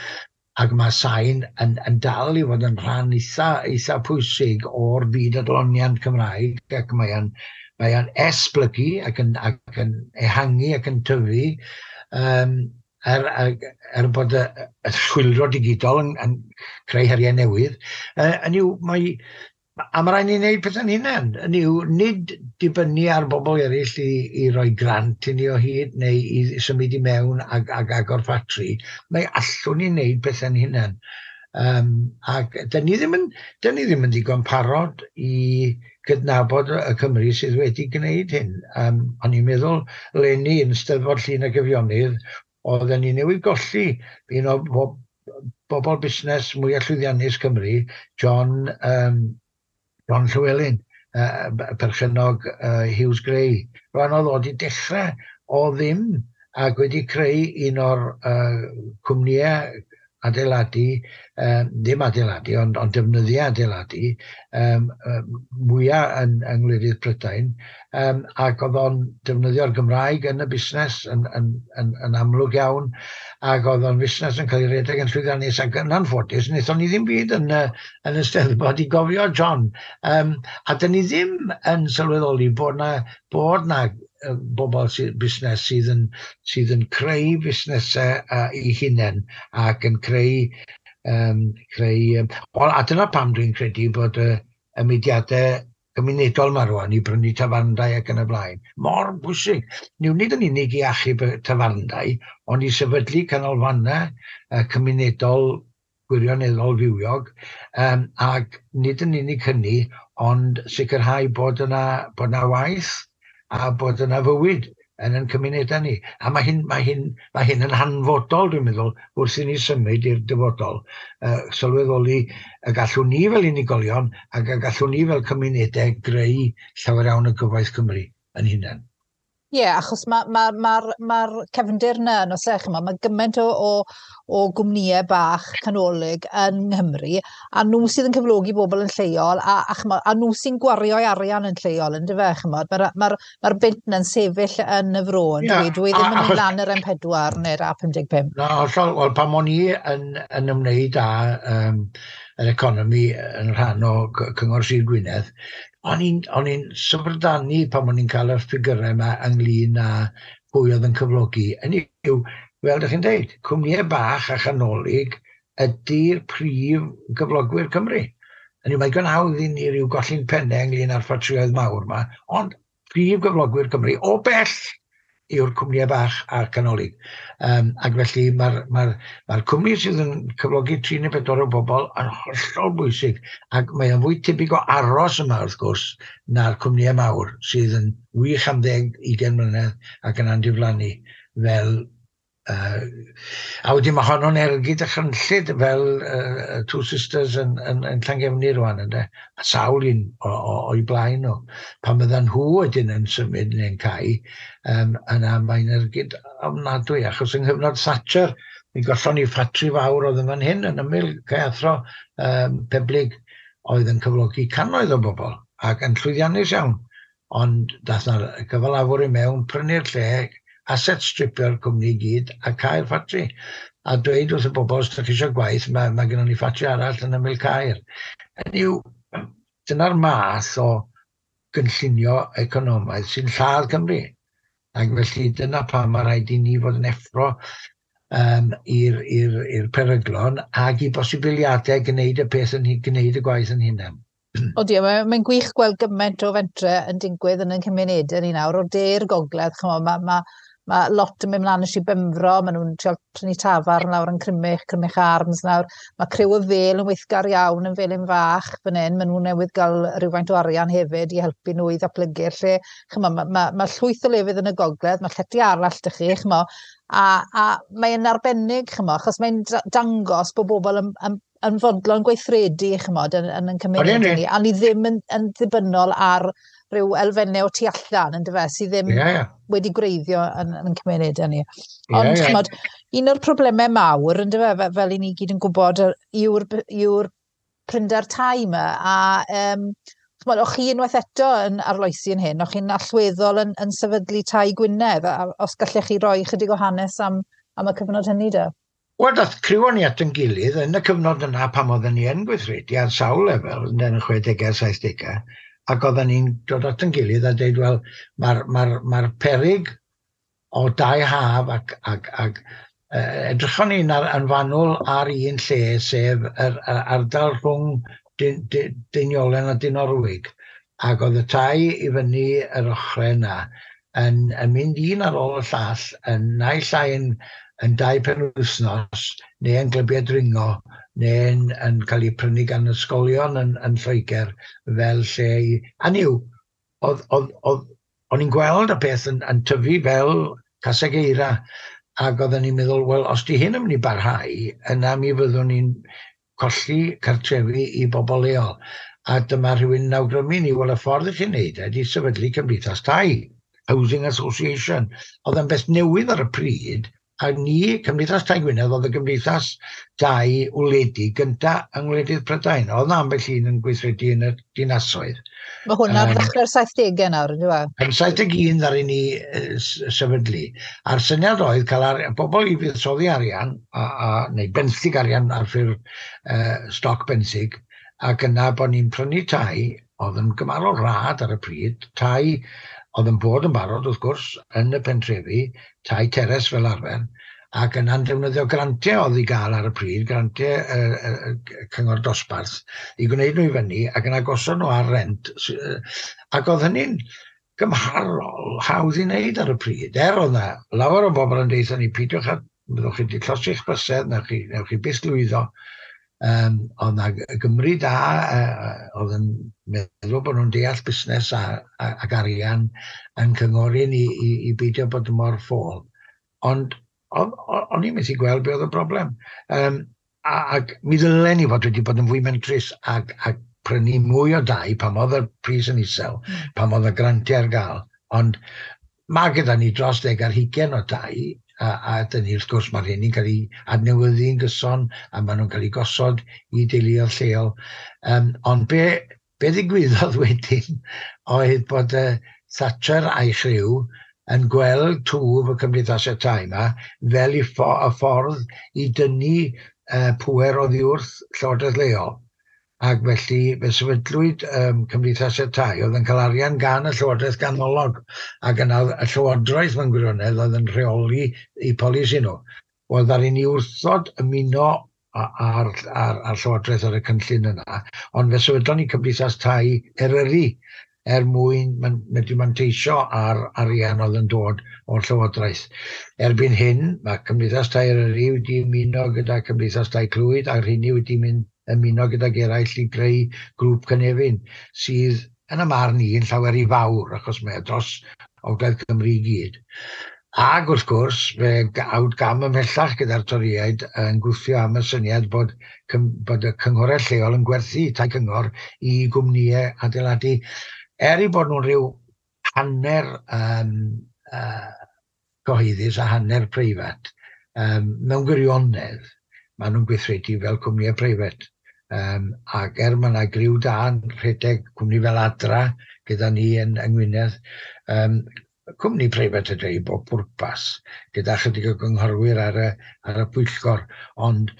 C: ac mae Sain yn, yn dal i fod yn rhan eitha, eitha pwysig o'r byd adloniant Cymraeg, ac mae'n mae o'n esblygu ac yn, ac yn ehangu ac yn tyfu, um, er, er, er bod y, y chwyldro digidol yn, yn creu heriau newydd. Uh, yn yw, mae, a mae rhaid ni wneud pethau'n hunain. Yn yw, nid dibynnu ar bobl eraill i, i roi grant i ni o hyd neu i symud i mewn ag, ag agor ffatri. Mae allwn ni wneud pethau'n hunain. Um, ac dyn ni ddim yn, dyn ni ddim yn ddigon parod i gydnabod y Cymru sydd wedi gwneud hyn. Um, o'n i'n meddwl, leni yn Steddfod Llŷn ac Eifionydd, oedden ni newydd golli un o bob, bobl busnes mwyaf llwyddiannus Cymru, John, um, John Llywelyn, uh, perchennog uh, Huws Gray. Rwan oedd o wedi dechrau o ddim ac wedi creu un o'r uh, cwmnïau adeiladu, um, ddim adeiladu, ond, ond defnyddiau adeiladu um, um, mwyaf yn, yng ngwledydd Prydain, um, ac oedd o'n defnyddio'r Gymraeg yn y busnes yn, yn, yn, yn amlwg iawn, ac oedd o'n busnes yn cael ei redeg yn llwyddiannus, ac yn anffodus, wnaethon ni ddim byd yn, yn y Steddfod i gofio John. Um, a dyn ni ddim yn sylweddoli bod na, bod na bobl sydd, busnes sydd yn, sydd yn creu busnesau uh, eu hunain ac yn creu, um, creu um, well, a dyna pam dwi'n credu bod y, y mudiadau gymunedol yma rwan i brynu tafarndai ac yn y blaen mor bwysig. Niw nid yn unig i achub y tafarndai, ond i sefydlu canolfannau uh, cymunedol gwirioneddol fywiog, um, ac nid yn unig hynny, ond sicrhau bod yna, bod yna waith a bod yna fywyd yn ein cymunedau ni. A mae hyn, mae hyn, mae hyn yn hanfodol, dwi'n meddwl, wrth i ni symud i'r dyfodol. Uh, sylweddoli y gallwn ni fel unigolion ac y gallwn ni fel cymunedau greu llawer iawn o gyfoeth Cymru yn hunain.
B: Ie, yeah, achos mae'r ma, ma, ma, ma cefndir yna, yn oes e, ch'mo', mae gymaint o, o, o gwmnïau bach canolig yn Nghymru, a nhw sydd yn cyflogi bobl yn lleol, a, a, ch'mo', a nhw sy'n gwario arian yn lleol, yn dyfe, ch'mod, mae'r ma, ma bunt yna'n sefyll yn y fro, yn yeah, dwi, dwi ddim yn mynd lan yr M pedwar neu'r A pum deg pump.
C: Na, hollol, wel, pan o'n i yn, yn ymwneud â um, yr economi yn rhan o Cyngor Sir Gwynedd, o'n i'n o'n i'n syfrdanu pan o'n i'n cael y ffigurau yma ynglyn â pwy oedd yn cyflogi. Hynny yw, fel ydych chi'n dweud, cwmnïau bach a chanolig ydy'r prif gyflogwyr Cymru. Hynny yw, mae'n digon hawdd i ni ryw golli'n pennau ynglyn â'r ffatrïoedd mawr yma, ond prif gyflogwyr Cymru o bell yw'r cwmnïau bach a'r canolig. Um, ac felly mae'r ma ma cwmni sydd yn cyflogi tri neu pedwar o bobl yn hollol bwysig, ac mae o'n fwy tebyg o aros yma wrth gwrs na'r cwmnïau mawr sydd yn wych am ddeg, ugain mlynedd ac yna'n diflannu fel. Uh, a wedyn mae honno'n ergyd dychrynllyd fel uh, Two Sisters yn, yn, yn Llangefni rwan, ynde? A sawl un o'i blaen nhw. Pan fyddan nhw wedyn yn symud neu'n cau, um, yna mae'n ergyd ofnadwy, achos yng nghyfnod Thatcher, mi gollon ni ffatri fawr oedd yn fan hyn, yn ymyl Caeathro um, Peblig, oedd yn cyflogi cannoedd o bobl, ac yn llwyddiannus iawn. Ond dath na'r cyfalafwr i mewn, prynu'r lle, asset stripio'r cwmni i gyd a cau'r ffatri. A dweud wrth y bobl, os ydych chi eisiau gwaith, mae, mae gennym ni ffatri arall yn ymyl Caer. Hynny yw, dyna'r math o gynllunio economaidd sy'n lladd Cymru. Ac felly dyna pam mae rhaid i ni fod yn effro um, i'r i'r i'r peryglon ac i bosibiliadau gwneud y peth yn gwneud y gwaith yn hunan.
B: O die, mae'n mae gwych gweld gymaint o fentre yn digwydd yn ein cymunedau ni nawr, o'r de i'r gogledd, ch'mo, mae ma, ma lot yn mynd mlaen i Sir Benfro, maen nhw'n trio prynu tafarn lawr yn Crymych, Crymych Arms nawr. Mae criw y Fel yn weithgar iawn yn Felin Fach fan hyn, maen nhw newydd gael rhywfaint o arian hefyd i helpu nhw i ddatblygu'r lle. Ch'mo, mae ma, ma llwyth o lefydd yn y gogledd, mae llety arall 'da chi, ch'mo, a, a mae'n arbennig, ch'mo, achos mae'n dangos bod bobl yn, yn, yn fodlon gweithredu, ch'mod, yn, yn, yn cymunedau ni, a ni ddim yn, yn ddibynnol ar rhyw elfennau o tu allan, yndyfe, sydd ddim yeah, yeah. wedi gwreiddio yn, yn cymunedau ni. Ond, yeah, yeah. ch'mod, un o'r problemau mawr, yndyfe, fel, fel i ni gyd yn gwybod, yw'r yw'r prinder tai yma, a um, ch'mod, o'ch chi unwaith eto yn arloesi yn hyn, o'ch chi'n allweddol yn, yn sefydlu Tai Gwynedd, a os gallech chi roi chydig o hanes am, am y cyfnod hynny de?
C: Wel, dath criw o'n ni at yn gilydd yn y cyfnod yna pan oedden ni yn gweithredu ar sawl lefel, yn y chwedegau, saithdegau, ac oedden ni'n dod at yn gilydd a dweud, wel, mae'r ma ma peryg o dai haf ac, ac, ac uh, edrychon ni'n ar, yn fanwl ar un lle, sef yr, yr ardal rhwng Deiniolen a Dinorwig, ac oedd y tai i fyny yr ochrau yna yn, yn mynd un ar ôl y llall, yn naill ai yn, yn dau penwythnos, neu yn glybiau dringo, neu'n yn cael eu prynu gan ysgolion yn, yn Lloegr fel lle i... A niw, oedd, oedd, oedd, o'n i'n gweld y peth yn, yn tyfu fel caseg eira, ac oedden ni'n meddwl, wel, os di hyn yn mynd i barhau, yna mi fyddwn ni'n colli cartrefi i bobl leol. A dyma rhywun yn awgrymu ni, wel, y ffordd i chi'n neud ydy sefydlu cymdeithas tai, Housing Association. Oedd yn beth newydd ar y pryd, a ni, Cymdeithas Tai Gwynedd, oedd y gymdeithas dai wledig gynta yng ngwledydd Prydain. Oedd 'na ambell un yn gweithredu yn y dinasoedd.
B: Mae hwn ar um, ddechrau'r saithdegau nawr, ynddo fe?
C: Yn saith deg un ddaru ni sefydlu. A'r syniad oedd cael ar, bobl i fuddsoddi arian, a, a, neu benthyg arian ar ffurf uh, stoc benthyg, ac yna bod ni'n prynu tai, oedd yn gymharol rhad ar y pryd, tai oedd yn bod yn barod, wrth gwrs, yn y pentrefi, tai teres fel arfer, ac yna'n defnyddio grantiau oedd i gael ar y pryd, grantiau uh, uh, cyngor dosbarth, i gwneud nhw i fyny, ac yna gosod nhw ar rent. Ac oedd hynny'n gymharol hawdd i wneud ar y pryd. Er oedd yna lawer o bobl yn deud ni, peidiwch a byddwch chi wedi llosgi'ch bysedd, newch chi, newch chi byth lwyddo. Um, oedd yna Gymru da, uh, oedd yn meddwl bod nhw'n deall busnes a, a, ac arian yn cyngori ni i, i beidio bod mor ffôl. Ond o'n i'n methu gweld be oedd y broblem. Um, ac mi ddylen ni fod wedi bod yn fwy mentrus ac, ac prynu mwy o dai pan oedd y pris yn isel, mm. pan oedd y grantiau ar gael. Ond mae gyda ni dros deg ar hugain o dai, a, a dyn ni wrth gwrs mae'r hyn yn cael ei adnewyddu'n gyson a maen nhw'n cael ei gosod i deuluoedd lleol. Um, ond be, be ddigwyddodd wedyn oedd bod uh, Thatcher a'i chriw yn gweld twf y cymdeithasau tai yma fel i ffo y ffordd i dynnu uh, pŵer oddi wrth llywodraeth leol. Ac felly fe sefydlwyd um, cymdeithasau tai oedd yn cael arian gan y llywodraeth ganolog, ac yna y llywodraeth mewn gwirionedd oedd yn rheoli eu polisi nhw. Wel, ddaru ni wrthod ymuno ar, ar, ar llywodraeth ar y cynllun yna, ond fe sefydlon ni cymdeithas tai Eryri er mwyn medru manteisio ar arian oedd yn dod o'r Llywodraeth. Erbyn hyn, mae Cymdeithas Tai Eryri wedi ymuno gyda Cymdeithas Tai Clwyd, a'r rheini wedi mynd ymuno gydag eraill i greu grŵp Cynefin, sydd yn y marn i yn llawer i fawr, achos mae dros Ogledd Cymru i gyd. Ac wrth gwrs, fe awd gam ymhellach gyda'r Torïaid yn gwthio am y syniad bod, bod y cynghorau lleol yn gwerthu tai cyngor i gwmnïau adeiladu. Er i bod nhw'n rhyw hanner um, uh, cyhoeddus a hanner preifat, um, mewn gwirionedd, maen nhw'n gweithredu fel cwmnïau preifat. Um, ac er mae yna griw da yn rhedeg cwmni fel Adra gyda ni yn, yng Ngwynedd, um, cwmni preifat ydy i bob pwrpas, gyda chydig o gynghorwyr ar y, ar y pwyllgor, ond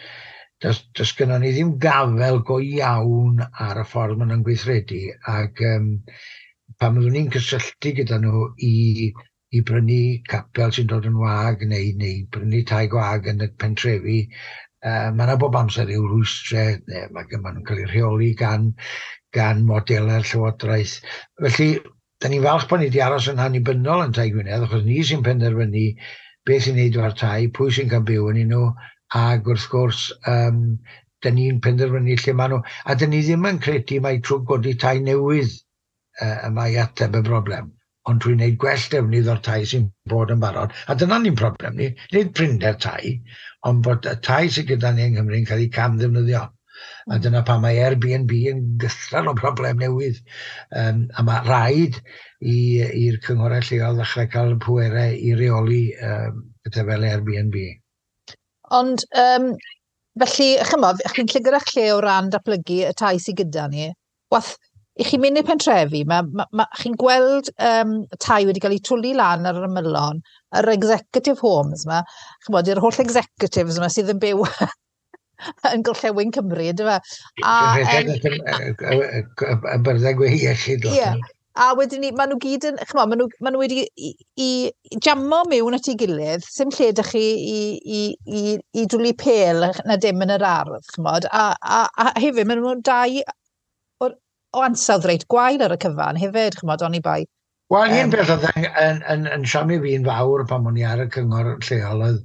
C: does, does gynnon ni ddim gafel go iawn ar y ffordd maen nhw'n gweithredu, ac um, pan fyddwn ni'n cysylltu gyda nhw i, i brynu capel sy'n dod yn wag neu, neu brynu tai gwag yn y pentrefi, uh, mae yna bob amser ryw rwystrau, neu mae, ma nhw'n cael eu rheoli gan, gan modelau'r Llywodraeth. Felly, da ni'n falch bod ni wedi aros yn annibynnol yn Tai Gwynedd, achos ni sy'n penderfynu beth sy'n neud o'r tai, pwy sy'n cael byw yn nhw, ac wrth gwrs, um, da ni'n penderfynu lle maen nhw. A da ni ddim yn credu mai trwy godi tai newydd uh, y mae ateb y broblem, ond trwy wneud gwell defnydd o'r tai sy'n bod yn barod. A dyna ni'n problem ni, nid prinder tai, ond bod y tai sydd gyda ni yng Nghymru yn cael eu cam ddefnyddio. A dyna pam mae Airbnb yn gythral o broblem newydd. Um, a mae rhaid i'r cynghorau lleol ddechrau cael pwerau i reoli um, pethau fel Airbnb.
B: Ond, um, felly, chymod, chi'n llygad eich lle o ran datblygu y tai sydd gyda ni. Wath, i chi'n mynd i'r pentrefi, ma, ma, ma, chi'n gweld um, tai wedi cael eu twlu lan ar yr ymylon, yr executive homes yma, chymod, yr holl executives yma sydd yn byw yn gorllewin Cymru, yndyfe?
C: A y byrddau gwe iechyd.
B: Ie, a wedyn ni, maen nhw gyd yn, chymod, maen nhw, maen nhw wedi i, i jammo mewn at ei gilydd, sim lle dych chi i, i, i, i dwlu pêl na dim yn yr ardd, chymod, a, a, a hefyd, maen nhw'n dau o, o ansawdd reit gwael ar y cyfan hefyd, chymod, oni bai.
C: Wel, un peth oedd yn, yn, yn, yn siomi fi'n fawr pan o'n i ar y cyngor lleol oedd,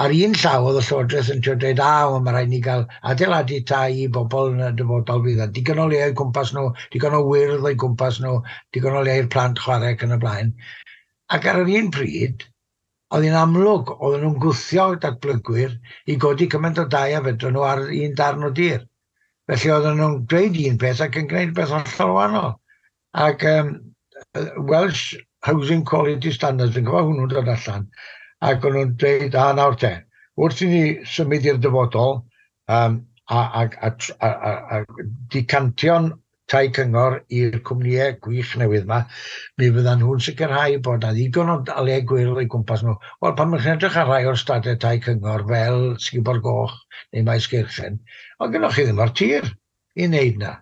C: ar un llaw oedd y Llywodraeth yn trio dweud, a, wel, mae rhaid ni gael adeiladu tai i bobl yn y dyfodol fydd, a digon o le o'i gwmpas nhw, digon o wyrdd o'i gwmpas nhw, digon o le i'r plant chwarae ac yn y blaen. Ac ar yr un pryd, oedd hi'n amlwg, oedden nhw'n gwthio datblygwyr i godi cymaint o dai a fedrwn nhw ar un darn o dir. Felly oedden nhw'n dweud un peth ac yn gwneud beth hollol wahanol. Ac um, Welsh Housing Quality Standards, fi'n cofio hwnnw'n dod allan, ac o'n nhw'n dweud, a nawr te, wrth i ni symud i'r dyfodol um, a, a, a, a, a, a decantio'n tai cyngor i'r cwmnïau gwych newydd yma, mi fyddan nhw'n sicrhau bod na ddigon o le gwyrdd o'i gwmpas nhw. Wel, pan mae'n edrych ar rai o'r stadau tai cyngor fel Sgubor Goch neu Maes Geirchen, ond gynnwch chi ddim o'r tir i wneud na.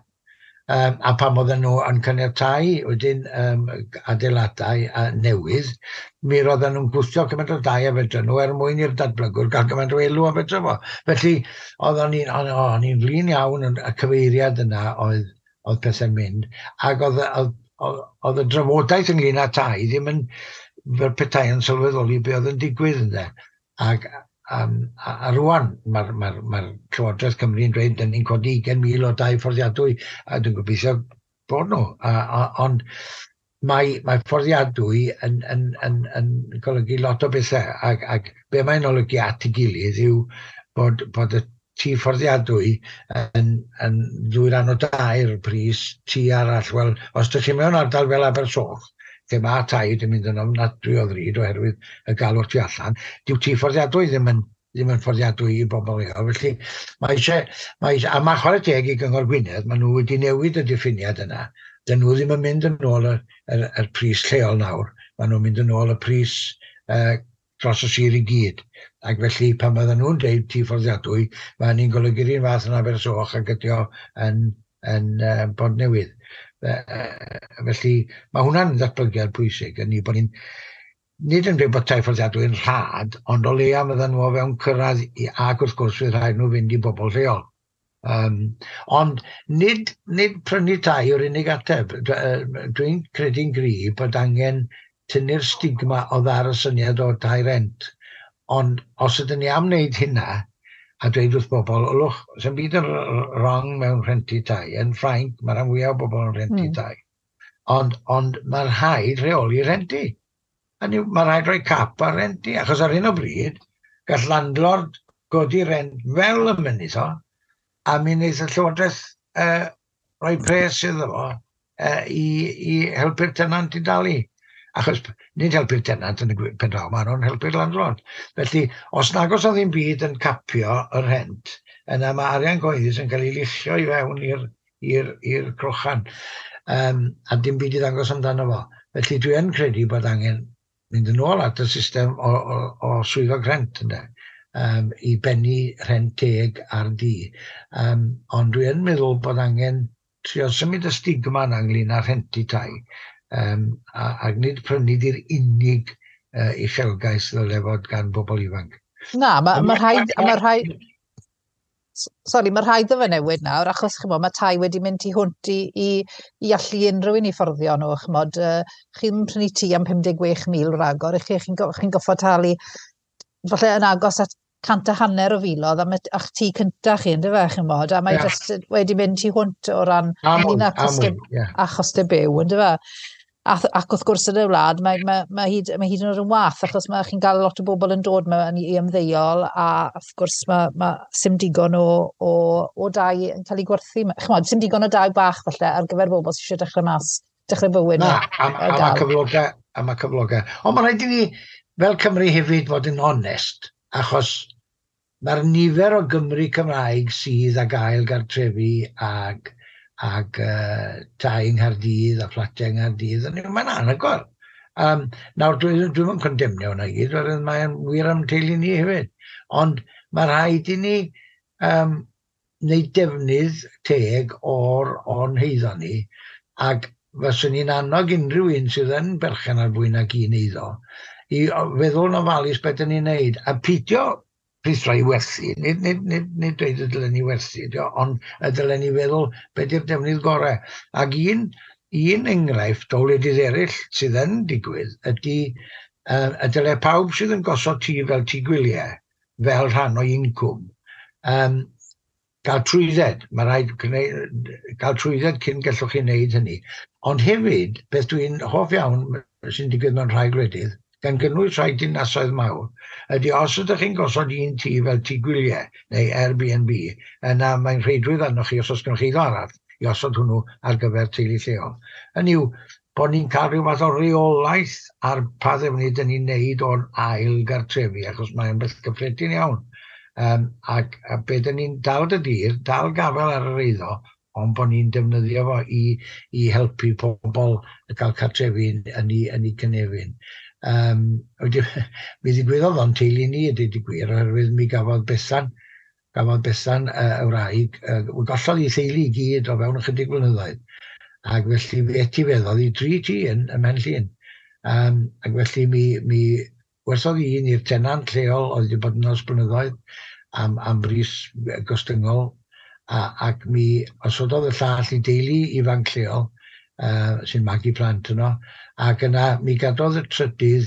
C: Um, a pan oedden nhw yn caniatáu wedyn um, adeiladau uh, newydd, mi roedden nhw'n gwthio cymaint o dai a fedrwn nhw er mwyn i'r datblygwr gael cymaint o elw a fedrwn fo. Felly, oedden ni'n o'n i'n flin iawn yn y cyfeiriad yna oedd, oedd pethau'n mynd, ac oedd, oedd, oedd, oedd y drafodaeth ynglyn â tai ddim yn fel petai yn sylweddoli be oedd yn digwydd ynddo. Ac Um, a, a rwan, mae'r ma, ma Llywodraeth Cymru yn dweud dyn ni'n codi ugain mil o dai fforddiadwy, a dwi'n gobeithio bod nhw. A, a, ond mae, mae fforddiadwy yn, yn, yn, yn golygu lot o bethau, ac, ac be mae'n olygu at ei gilydd yw bod, bod y tŷ fforddiadwy yn, yn ddwy ran o dair pris tŷ arall. Wel, os ydych chi mewn ardal fel Abersoch, lle mae tai wedi mynd yn ofnadwy o ddrud oherwydd y galw'r tu allan, dyw tŷ fforddiadwy ddim yn, ddim yn fforddiadwy i bobl leol. Felly, mae eisiau, mae eisiau, a mae chwarae teg i Gyngor Gwynedd, maen nhw wedi newid y diffiniad yna. Dyn nhw ddim yn mynd yn ôl y, y, y pris lleol nawr, maen nhw'n mynd yn ôl y pris uh, dros y sir i gyd. Ac felly, pan fydden nhw'n deud tŷ fforddiadwy, mae hynny'n golygu'r un fath yn Abersoch ac ydi o yn, yn uh, Bontnewydd. Felly, mae hwnna'n ddatblygiad pwysig, yn ni bod ni'n nid yn dweud bod tai fforddiadwy yn rhad, ond o leia fyddan nhw o fewn cyrraedd, i, ac wrth gwrs fydd rhaid nhw fynd i bobl lleol. Um, ond nid, nid prynu tai yw'r unig ateb. Dwi'n credu'n gryf bod angen tynnu'r stigma o ddar y syniad o tai rent. Ond os ydyn ni am wneud hynna, a dweud wrth bobl, "Ylwch, sy'n byd yn wrong mewn rhentu tai." Yn Ffrainc, mae rhan fwyaf o bobl yn rhentu mm. tai. Ond, ond mae rhaid rheoli rhentu. A mae rhaid rhoi cap ar renti, achos ar hyn o bryd, gall landlord godi rent fel y mynydd o, a mi wneith y Llywodraeth uh, rhoi pres iddo fo uh, i, i helpu'r tenant i dalu. Achos nid helpu'r tenant yn y pen draw, maen nhw'n helpu'r landlord. Felly, os nag oes o ddim byd yn capio y rhent, yna mae arian cyhoeddus yn cael ei luchio i fewn i'r crochan. Um, a dim byd i ddangos amdano fo. Felly dwi yn credu bod angen mynd yn ôl at y system o, o, o swyddog rhent, ynde, um, i bennu rhent teg ar dŷ. Um, ond dwi yn meddwl bod angen trio symud y stigma yna ynglyn â rhentu tai. Um, a, ac nid prynu di'r unig uh, uchelgais ddyle fod gan bobl ifanc.
B: Na, mae ma rhaid, ma rhaid, sori, mae rhaid iddo fe newid nawr, achos chymod, mae tai wedi mynd tu hwnt i, i, i allu unrhyw un i fforddio nhw. Chymod, uh, chi'n prynu tŷ am pum deg chwech mil ragor, chi, chi'n chi goffod talu falle yn agos at cant a hanner o filoedd am a'ch tŷ cyntaf chi, ynddo fe, chymod, a mae yeah. just wedi mynd tu hwnt o ran
C: a mwy, a
B: mwy, yeah. a chostau byw, ynddo fe. A, ac wrth gwrs yn y wlad, mae, mae, mae, hyd, mae hyd yn oed yn wath, achos mae chi'n cael lot o bobl yn dod mewn i ymddeol, a wrth gwrs mae, mae sim digon o, o, o dai yn cael ei gwerthu. Chymod, sim digon o dai bach falle ar gyfer bobl sydd eisiau dechrau mas, dechrau bywyd.
C: Na, a, a, a mae cyflogau, a mae cyflogau. Ond mae'n rhaid i ni, fel Cymru hefyd, fod yn onest, achos mae'r nifer o Gymry Cymraeg sydd ag ail gartrefi ag, ag uh, tai yng Nghaerdydd a fflatiau yng Nghaerdydd, mae'n anhygoel. Um, nawr, dwi'n dwi yn condemnio hwnna i gyd, oherwydd mae'n wir am teulu ni hefyd. Ond mae rhaid i ni um, wneud defnydd teg o'r o'n heiddo ni, ac fyswn i'n annog unrhyw un sydd yn berchen ar fwy nag un eiddo i feddwl yn ofalus beth ydyn ni'n neud, a peidio rhuthro i werthu, nid, nid, nid, nid dweud y dylen ni werthu, ond y dylen ni feddwl beth yw'r defnydd gorau. Ac un, un enghraifft o wledydd eraill sydd yn digwydd ydy uh, y dyle pawb sydd yn gosod tŷ fel tŷ gwyliau, fel rhan o incwm, um, gael trwydded. Mae rhaid cael trwydded cyn gallwch chi wneud hynny. Ond hefyd, beth dwi'n hoff iawn sy'n digwydd mewn rhai gwledydd, gan gynnwys rhai dinasoedd mawr, ydy os ydych chi'n gosod un tŷ fel tŷ gwyliau neu Airbnb, yna mae'n rheidrwydd arnoch chi, os oes gennych chi eiddo arall, i osod hwnnw ar gyfer teulu lleol. Hynny yw, bod ni'n cael rhyw fath o reolaeth ar pa ddefnydd dyn ni'n neud o'r ail gartrefi, achos mae'n beth gyffredin iawn. Um, ac a be dyn ni'n dal dy dir, dal gafel ar yr eiddo, ond bod ni'n defnyddio fo i, i helpu pobl gael cartrefi yn, yn, ei, yn ei cynefin. Um, mi ddigwyddodd o'n teulu ni, ydy di gwir, oherwydd mi gafodd Bethan, gafodd Bethan uh, y wraig, uh, gollodd ei theulu i gyd o fewn ychydig blynyddoedd. Ac felly mi etifeddodd i dri tŷ yn, ym Mhen Llŷn. Um, ac felly mi, mi werthodd un i'r tenant lleol oedd wedi bod yn ers blynyddoedd am, am bris gostyngol, a, ac mi osododd y llall i deulu ifanc lleol uh, sy'n magu plant yno, ac yna mi gadodd y trydydd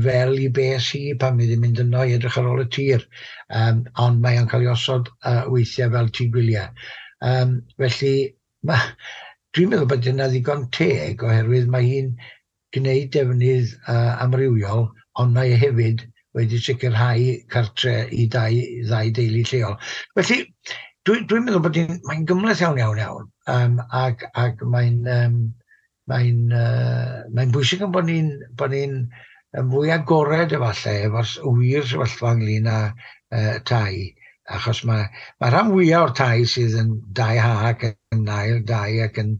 C: fel i bes hi pan mi ddim mynd yno i edrych ar ôl y tir, um, ond mae o'n cael ei osod uh, weithiau fel tŷ gwyliau. Um, felly, ma, dwi'n meddwl bod yna ddigon teg oherwydd mae hi'n gwneud defnydd uh, amrywiol, ond mae hefyd wedi sicrhau cartre i dau, ddau deulu lleol. Felly, dwi'n dwi meddwl bod hi'n mae'n gymhleth iawn, iawn, iawn. Um, ac, ac mae'n um, mae'n uh, mae'n bwysig yn bod ni'n bod ni'n yn fwy agored efallai efo'r wir sefyllfa ynglyn â uh, tai, achos mae, mae rhan fwyaf o'r tai sydd yn dau ha ac yn ail dai ac yn,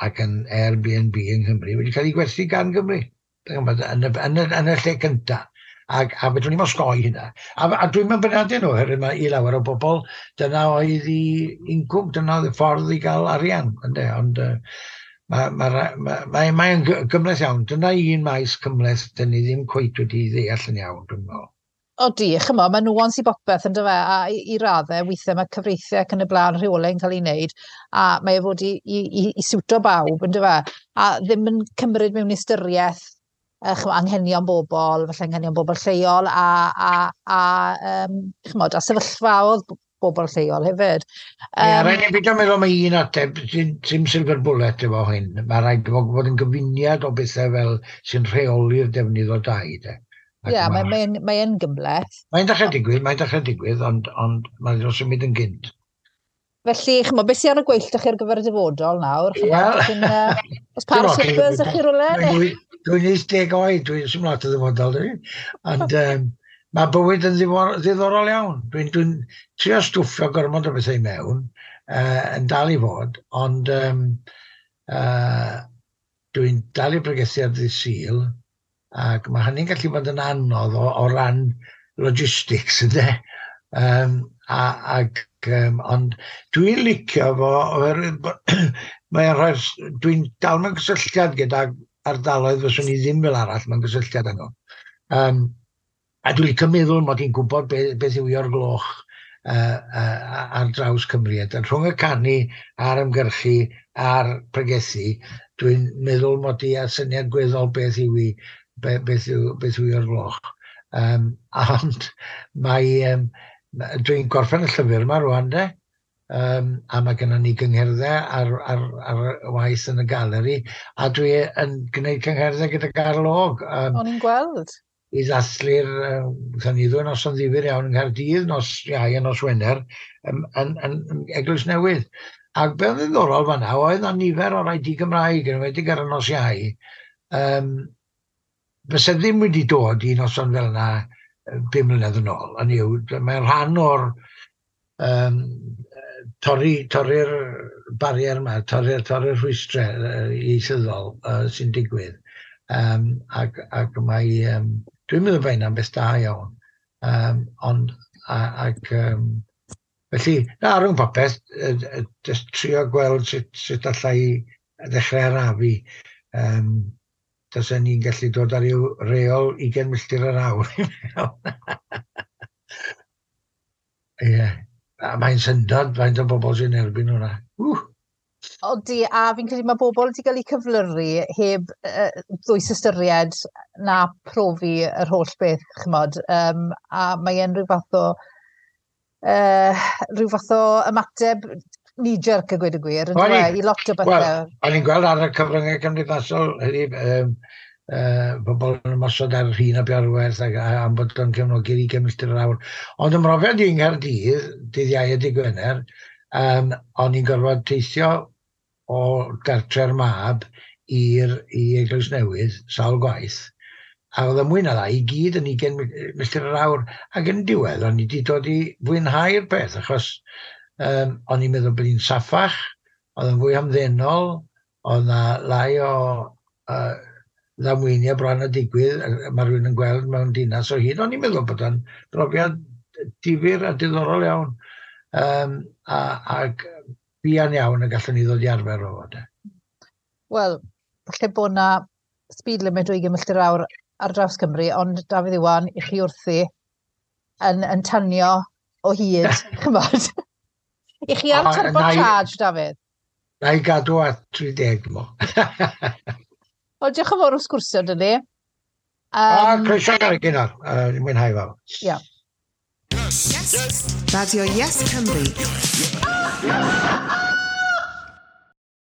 C: ac yn Airbnb yng Nghymru wedi cael ei gwerthu gan Gymru yn y, yn y, yn y, yn y lle cyntaf. Ac, a fedrwn ni'm osgoi hynna. A, a dwi'n mynd beirniadu nhw, oherwydd mae i lawer o bobl, dyna oedd i incwm, dyna oedd y ffordd i gael arian. Ynde? Ond uh, mae ma, ma, ma, mae'n gymhleth iawn. Dyna un maes cymhleth dyn ni ddim cweit wedi ddeall yn iawn, dwi'n meddwl.
B: Odi, chymod, mae nuance i bopeth yn dyfe, a i, i raddau, weithiau mae cyfreithiau ac yn y blaen rheolau yn cael ei wneud, a mae e fod i, i, i, i siwto bawb yn dyfe, a ddim yn cymryd mewn ystyriaeth uh, chymod, anghenion bobl, falle anghenion bobl lleol, a, a, a, um, chymod, a sefyllfaoedd bobl lleol hefyd.
C: Um, Ie, rhaid ni beidio meddwl mae un ateb, dim silver bullet efo hyn. Mae rhaid fod yn gyfuniad o bethau fel sy'n rheoli'r defnydd o dai.
B: Ie, yeah, mae'n mae, mae yn gymhleth.
C: Mae'n dechrau digwydd, mae'n dechrau digwydd, ond, ond mae'n symud yn gynt.
B: Felly, chymod, beth sy'n ar y gweill ydych chi ar gyfer y dyfodol nawr? Wel... Oes par o slippers ych chi rhywle?
C: Dwi'n wyth deg oed, dwi'n symud lot o ddyfodol, dwi. Ond um, mae bywyd yn ddiddorol iawn. Dwi'n dwi trio stwffio gormod o bethau mewn, uh, yn dal i fod, ond um, uh, dwi'n dal i bregethu ar ddydd Sul, ac mae hynny'n gallu bod yn anodd o, o ran logistics, ynddo? Um, a, ac, um, ond dwi'n licio fo, oherwydd mae'n rhoi'r, dwi'n dal mewn cysylltiad gyda ardaloedd fyswn i ddim fel arall mewn gysylltiad â nhw. Um, a dwi'n licio meddwl mod i'n gwybod be, beth yw o'r gloch uh, uh, ar draws Cymru. A rhwng y canu a'r ymgyrchu a'r pregethu, dwi'n meddwl mod i â syniad gweddol beth yw i, be, beth yw, beth yw o'r gloch. Um, ond mae, um, dwi'n gorffen y llyfr yma rwan de, um, a mae gennym ni gyngherddau ar, ar, ar waith yn y galeri, a dwi yn gwneud cyngherddau gyda Garl Og.
B: Um, O'n i'n gweld.
C: I ddathlu'r, um, ni ddwy noson ddifyr iawn yng Nghaerdydd, nos Iau a nos Wener, yn, yn, yn, yn Eglwys Newydd. Ac beth ddiddorol fan'na oedd na nifer o rai di-Gymraeg, yn enwedig ar y nos Iau, um, fyse ddim wedi dod i noson fel yna bum mlynedd yn ôl. Hynny yw, mae'n rhan o'r um, torri, torri'r barier yma, torri'r torri rhwystrau ieithyddol uh, sy'n digwydd. Um, ac, ac mae, um, dwi'n meddwl bod hynna'n beth da iawn. Um, ond, a, ac, um, felly, na, rhwng popeth, just trio gweld sut, sut allai ddechrau arafu. Um, Tasen ni'n gallu dod ar ryw reol ugain milltir yr awr. Ie. A mae'n syndod faint o bobl sy'n erbyn hwnna. Ww.
B: Odi, a fi'n credu mae bobl wedi cael eu cyflyru heb uh, ddwys ystyried na profi yr holl beth, chymod. Um, a mae e'n rhyw fath o, uh, rhyw fath o ymateb knee-jerk a gweud y gwir, yn dweud, i lot o bethau.
C: Wel, o'n i'n gweld ar y cyfryngau cymdeithasol, heddi, um, uh, bobl yn ymosod ar Rhun ap Iorwerth ac am bod o'n cefnogi'r ugain milltir yr awr. Ond ym mhrofiad i yng Nghaerdydd, dydd Iau a dydd Gwener, um, o'n i'n gorfod teithio o gartre'r mab i'r i Eglwys Newydd, sawl gwaith, a oedd y mwy na lai i gyd yn ugain milltir yr awr, ac yn diwedd o'n i wedi dod i fwynhau'r peth, achos um, o'n i'n meddwl bod hi'n saffach, oedd yn fwy hamddenol, oedd na lai o uh, ddamweiniau bron a digwydd, mae rhywun yn gweld mewn dinas o hyd. O'n i'n meddwl bod o'n brofiad difyr a diddorol iawn, um, a, ac buan iawn y gallwn ni ddod i arfer o fod.
B: Wel, falle bod na speed limit o ugain milltir yr awr ar draws Cymru, ond Dafydd Iwan, i chi wrthi yn, yn tanio o hyd, chymod. I chi ar turbo charge, Dafydd?
C: Na i gadw at tri deg, mo.
B: Wel, diolch yn fawr am sgwrsio, dyn ni.
C: Um, a, croeso gael gynnal. Uh, mwynhau fawr.
B: Ia.
A: Yes. Yes. Radio Yes Cymru.